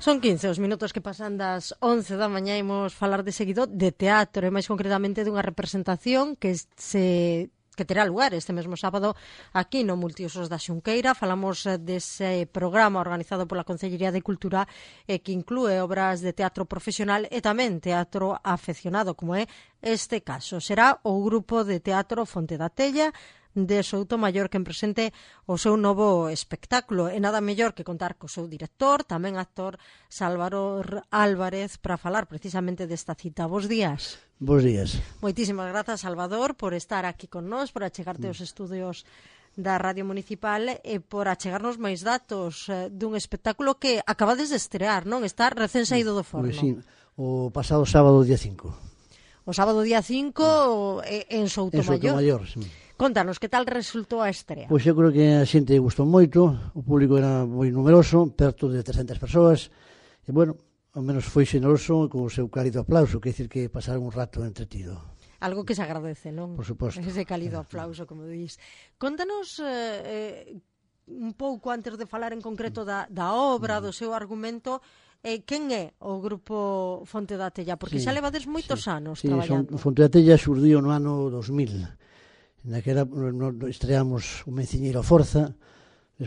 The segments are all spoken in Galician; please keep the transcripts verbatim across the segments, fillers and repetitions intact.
Son quince os minutos que pasan das once da mañá. Imos falar de seguido de teatro e máis concretamente dunha representación que se que terá lugar este mesmo sábado aquí no Multiusos da Xunqueira. Falamos dese programa organizado pola Concellería de Cultura e que inclúe obras de teatro profesional e tamén teatro afeccionado, como é este caso. Será o grupo de teatro Fonte da Tella de Soutomaior quen presente o seu novo espectáculo, e nada mellor que contar co seu director, tamén actor Salvador Álvarez, para falar precisamente desta cita. Bos días. Bos días. Moitísimas grazas, Salvador, por estar aquí con nós, por achegarte aos estudios da Radio Municipal e por achegarnos máis datos eh, dun espectáculo que acabades de estrear, non? Está recén saído do forno. Pois sí, o pasado sábado día cinco. O sábado día cinco eh, en Soutomaior. En Soutomaior, sí. Contanos, que tal resultou a estrea? Pois eu creo que a xente gustou moito, o público era moi numeroso, perto de trescentas persoas, e, bueno, ao menos foi xeneroso con o seu cálido aplauso, que dicir que pasaron un rato entretido. Algo que se agradece, non? Por suposto. Ese cálido aplauso, como dís. Contanos eh, un pouco, antes de falar en concreto da, da obra, do seu argumento, eh, quen é o grupo Fonte da Tella? Porque sí, xa levades moitos sí, anos sí, traballando. Son, Fonte da Tella xurdiu no ano dos mil. Naquela no, estreamos o Menciñeiro a Forza,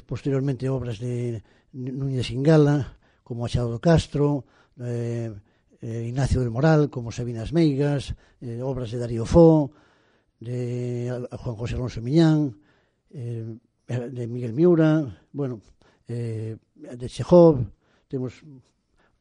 posteriormente obras de Núñez Singala, como Achado do Castro, eh, eh, Ignacio del Moral, como Sabinas Meigas, eh, obras de Darío Fo, de Juan José Alonso Miñán, eh, de Miguel Miura, bueno, eh, de Chekhov. Temos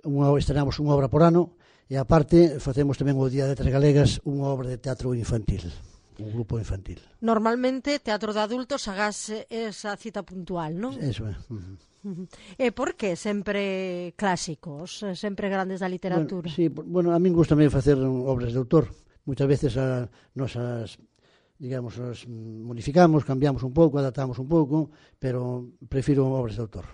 unha, estrenamos unha obra por ano, e aparte facemos tamén o Día de Letras Galegas unha obra de teatro infantil, un grupo infantil. Normalmente, teatro de adultos, hagas esa cita puntual, non? Eso é. Uh-huh. Uh-huh. E por que sempre clásicos, sempre grandes da literatura? Bueno, sí, bueno, a min gusta tamén facer obras de autor. Moitas veces a, nos as, digamos, as modificamos, cambiamos un pouco, adaptamos un pouco, pero prefiro obras de autor.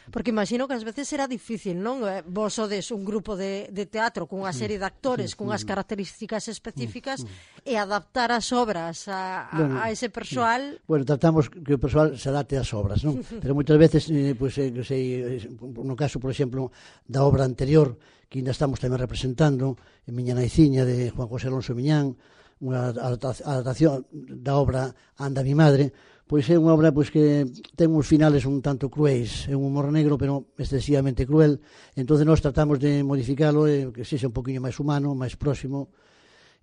Porque imagino que ás veces será difícil, non? Vos sodes un grupo de, de teatro cunha serie de actores, cunhas características específicas, e adaptar as obras a, a, bueno, a ese persoal. Bueno, tratamos que o persoal se adapte ás obras, non? Pero moitas veces, eh, pues, eh, sei, no caso, por exemplo, da obra anterior, que ainda estamos tamén representando, en Miña Naiciña, de Juan José Alonso Miñán, unha adaptación da obra Anda mi madre, pois é unha obra pois que ten uns finales un tanto cruéis, é un humor negro, pero excesivamente cruel. Entonces nós tratamos de modificalo e que sexa un poquinho máis humano, máis próximo.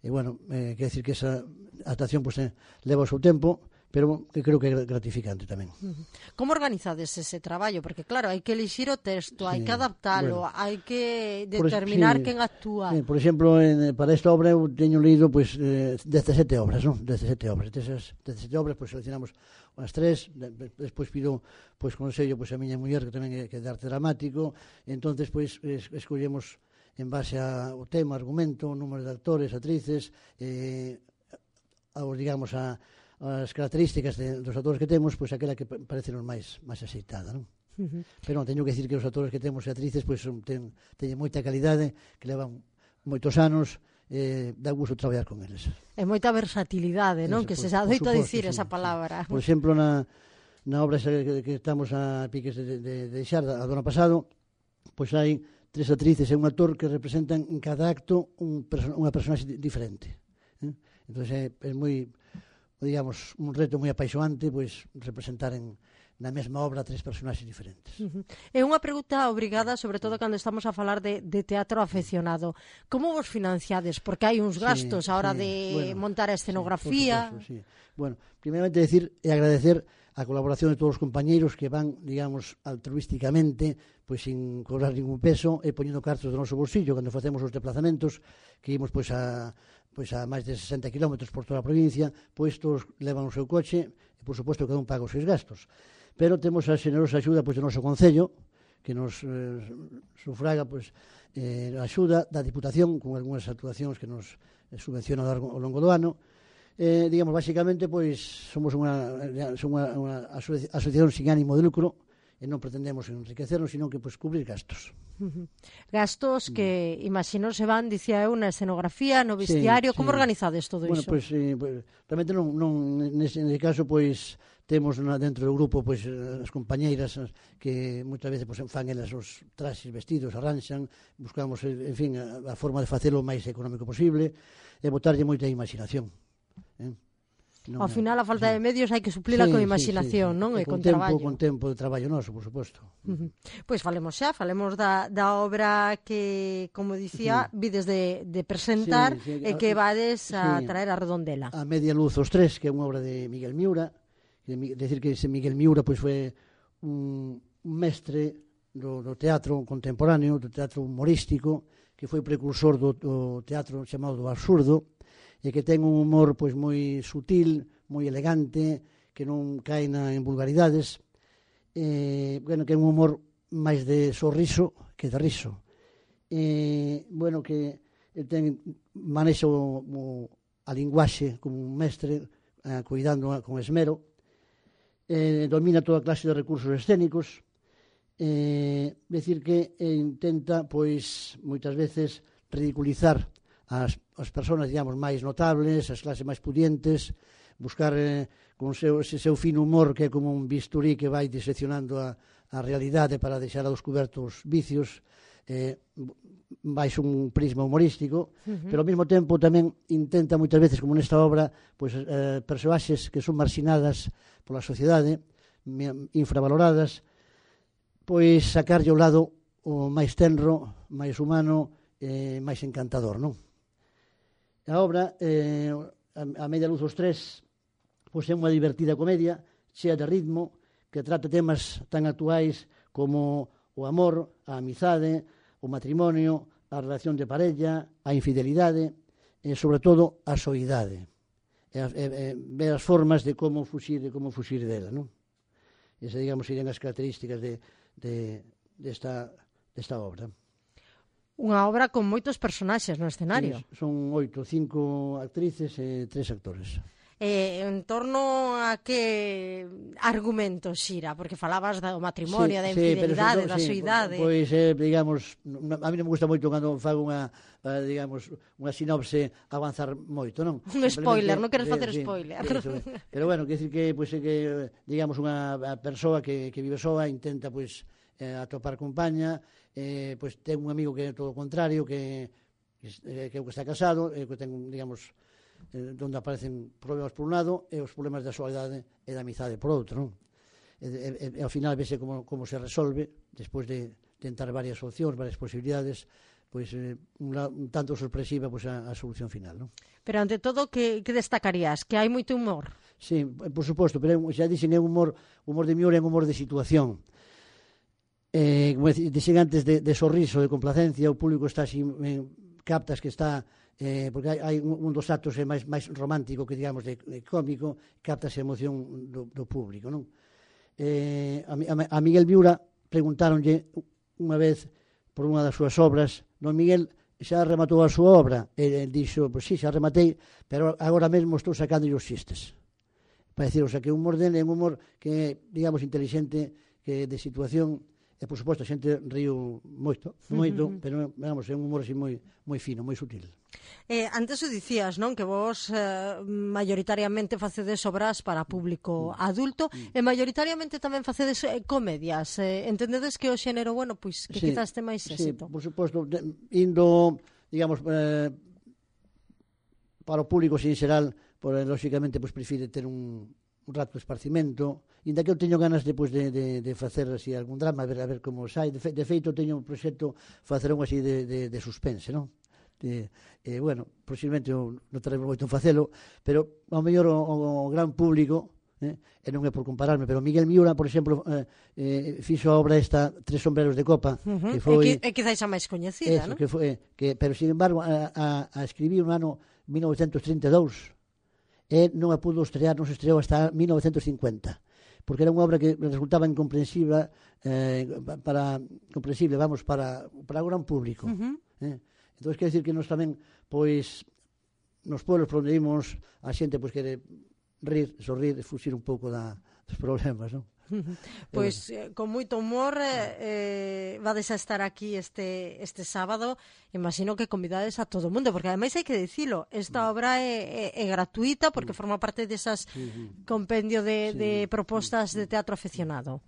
E, bueno, eh, quer decir que esa adaptación pois, eh, leva o seu tempo, pero que creo que é gratificante tamén. Como organizades ese traballo? Porque, claro, hai que elixir o texto, hai sí, que adaptalo, bueno, hai que determinar por, sí, quen actúa. Sí, por exemplo, en, para esta obra eu teño leído pues, eh, dezasete obras, non? dezasete obras. Desas dezasete obras, pues, seleccionamos unhas tres, despois pido pues, consello pues, a miña muller, que tamén é, que é de arte dramático, e entonces pues, es, escollemos en base ao tema, argumento, número de actores, actrices, eh, aos, digamos, a as características de, dos actores que temos, pois aquela que parece nos máis máis aceitada, non? Uh-huh. Pero non, teño que decir que os actores que temos e actrices pois ten, teñen moita calidade, que levan moitos anos, eh, dá gusto traballar con eles. É moita versatilidade, non? Eso, que por, se adoita a dicir sí, esa palabra. Sí. Por exemplo, na, na obra que, que estamos a piques de, de, de deixar a do ano pasado, pois hai tres actrices e un actor que representan en cada acto un perso- unha personaxe diferente. Eh? Entón é, é moi, digamos, un reto moi apaixonante, pois representar en, na mesma obra tres personaxes diferentes. Uh-huh. É unha pregunta obrigada, sobre todo cando estamos a falar de, de teatro afeccionado. Como vos financiades? Porque hai uns gastos sí, a hora sí, de bueno, montar a escenografía. Sí, supuesto, sí. Bueno, primeiramente decir e agradecer a colaboración de todos os compañeiros que van, digamos, altruísticamente, pois sin cobrar ningún peso e poñendo cartos do noso bolsillo cando facemos os desplazamentos, que imos pois a pois a máis de sesenta kilómetros por toda a provincia, pois todos levan o seu coche e, por suposto, cada un paga os seus gastos. Pero temos a xenerosa axuda pois, do noso Concello, que nos eh, sufraga pois, eh, a axuda da Diputación, con algunhas actuacións que nos eh, subvenciona ao longo do ano. Eh, digamos, basicamente, pois, somos unha, unha, unha asociación sin ánimo de lucro, e non pretendemos enriquecernos, sino que pues, cubrir gastos. Uh -huh. Gastos que, mm. imagino, se van, dicía eu, na escenografía, no vestiario. Sí, como sí. organizades todo bueno, iso? Bueno, pues, eh, pues, realmente non, non nese, nese caso, pois, temos na, dentro do grupo pois, as compañeiras que moitas veces pois, fan elas os traxes, vestidos, arranxan, buscamos, en fin, a, a forma de facelo o máis económico posible e botarlle moita imaginación. Eh? Non Ao final, a falta sí. de medios hai que suplila sí, con imaginación, sí, sí, sí. non? E, e con, con tempo, traballo. Con tempo de traballo noso, por suposto. Uh -huh. Pois falemos xa, falemos da, da obra que, como dicía, sí. vides de, de presentar sí, sí, e que vades a sí. traer a Redondela. A Media Luz os Tres, que é unha obra de Miguel Miura. É decir que ese Miguel Miura pois, foi un, un mestre do, do teatro contemporáneo, do teatro humorístico, que foi precursor do, do teatro chamado do absurdo, e que ten un humor pois moi sutil, moi elegante, que non cae na, en vulgaridades, eh, bueno, que é un humor máis de sorriso que de riso. Eh, bueno, que ten manexa o, o, a linguaxe como un mestre, eh, cuidando con esmero, eh, domina toda clase de recursos escénicos, eh, decir que eh, intenta, pois, moitas veces ridiculizar as, as persoas, digamos, máis notables, as clases máis pudientes, buscar eh, con seu, ese seu fino humor que é como un bisturí que vai diseccionando a, a realidade para deixar a descobertos vicios, eh, vais un prisma humorístico, uh -huh. pero ao mesmo tempo tamén intenta moitas veces, como nesta obra, pois, eh, persoaxes que son marxinadas pola sociedade, infravaloradas, pois sacarlle ao lado o máis tenro, máis humano, eh, máis encantador, non? A obra, eh, a Media Luz os Tres, pois é unha divertida comedia, chea de ritmo, que trata temas tan actuais como o amor, a amizade, o matrimonio, a relación de parella, a infidelidade e, sobre todo, a soidade. E, e, e ver as formas de como fuxir, de como fuxir dela, non? Esa, digamos, serían as características de, de, desta, desta obra. Unha obra con moitos personaxes no escenario. Sí, son oito, cinco actrices e tres actores. Eh, en torno a que argumento xira? Porque falabas do matrimonio, sí, da infidelidade, sí, da sí, soidade. Pois, eh, digamos, a mí non me gusta moito cando fago unha, digamos, unha sinopse avanzar moito, non? Un spoiler, non queres facer sí, spoiler. Eso, pero bueno, quer decir que, pois, que digamos, unha persoa que, que vive soa intenta, pois, eh, atopar compaña, eh, pois ten un amigo que é todo o contrario, que eh, que, que está casado, eh, que ten, digamos, eh, onde aparecen problemas por un lado e os problemas da soledade e da amizade por outro, non? E, e, e ao final vese como, como se resolve, despois de tentar varias opcións, varias posibilidades, pois eh, un, un tanto sorpresiva pois, a, a solución final, non? Pero ante todo, que, que destacarías? Que hai moito humor? Sí, por suposto, pero xa dixen, é un humor, humor de Miura, é un humor de situación. Eh, como dixen antes, de, de sorriso, de complacencia, o público está así, eh, captas que está, eh, porque hai, hai un, un dos actos é máis, máis romántico que, digamos, de, de cómico, captas a emoción do, do público, non? Eh, a, a Miguel Miura preguntáronlle unha vez por unha das súas obras, non, Miguel, xa rematou a súa obra? E ele dixo, pois sí, xa rematei, pero agora mesmo estou sacando os xistes. Para decir, o sea, que o humor dele é un humor que, digamos, inteligente, que de situación. E, por suposto, a xente río moito, moito, uh -huh. pero, vamos, é un humor así moi, moi fino, moi sutil. Eh, antes o dicías, non? Que vos eh, maioritariamente facedes obras para público mm. adulto mm. e maioritariamente tamén facedes eh, comedias. Eh, entendedes que o xénero, bueno, pois, que sí, quizás ten máis éxito? Sí, por suposto, de, indo, digamos, eh, para o público, sin xeral, por, lógicamente, pois, prefire ter un, un rato de esparcimento, inda que eu teño ganas depois de, de, de facer así algún drama, a ver, a ver como sai. De, fe, de feito, teño un proxecto facer un así de, de, de suspense, non? De, eh, bueno, posiblemente non teremos moito en facelo, pero ao mellor o, o, o gran público, eh, e non é por compararme, pero Miguel Miura, por exemplo, eh, eh, fixo a obra esta Tres sombreros de copa, uh -huh. que foi... É, que, é quizás a máis coñecida, non? Que foi, que, pero, sin embargo, a, a, a escribir no ano mil novecentos trinta e dous, e non a pudo estrear, non se estreou hasta mil novecentos cincuenta, porque era unha obra que resultaba incomprensible, eh, para, comprensible, vamos, para, para o gran público. Uh -huh. eh? Entón, quer decir que nós tamén, pois, nos pueblos por onde imos, a xente, pois, quere rir, sorrir, fuxir un pouco da, dos problemas, non? Pois, eh, con moito humor, eh, vades a estar aquí este este sábado. Imagino que convidades a todo o mundo, porque ademais hai que dicilo, esta obra é, é, é gratuita porque forma parte desas compendio de, de propostas de teatro aficionado.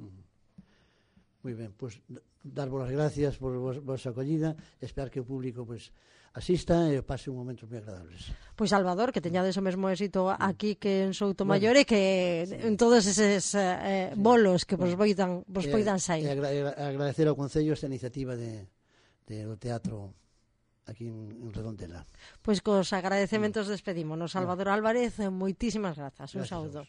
Moi ben, pois darvos as gracias por vos, vosa acollida, esperar que o público pois asista e pase un momento moi agradables. Pois Salvador, que teñades o mesmo éxito aquí que en Soutomaior e que sí. En todos eses eh, sí. bolos que vos poidan vos poidan sair. E agra agradecer ao Concello esta iniciativa de, de do teatro aquí en, en Redondela. Pois cos agradecementos despedímonos. Salvador Álvarez, moitísimas grazas. Un saúdo.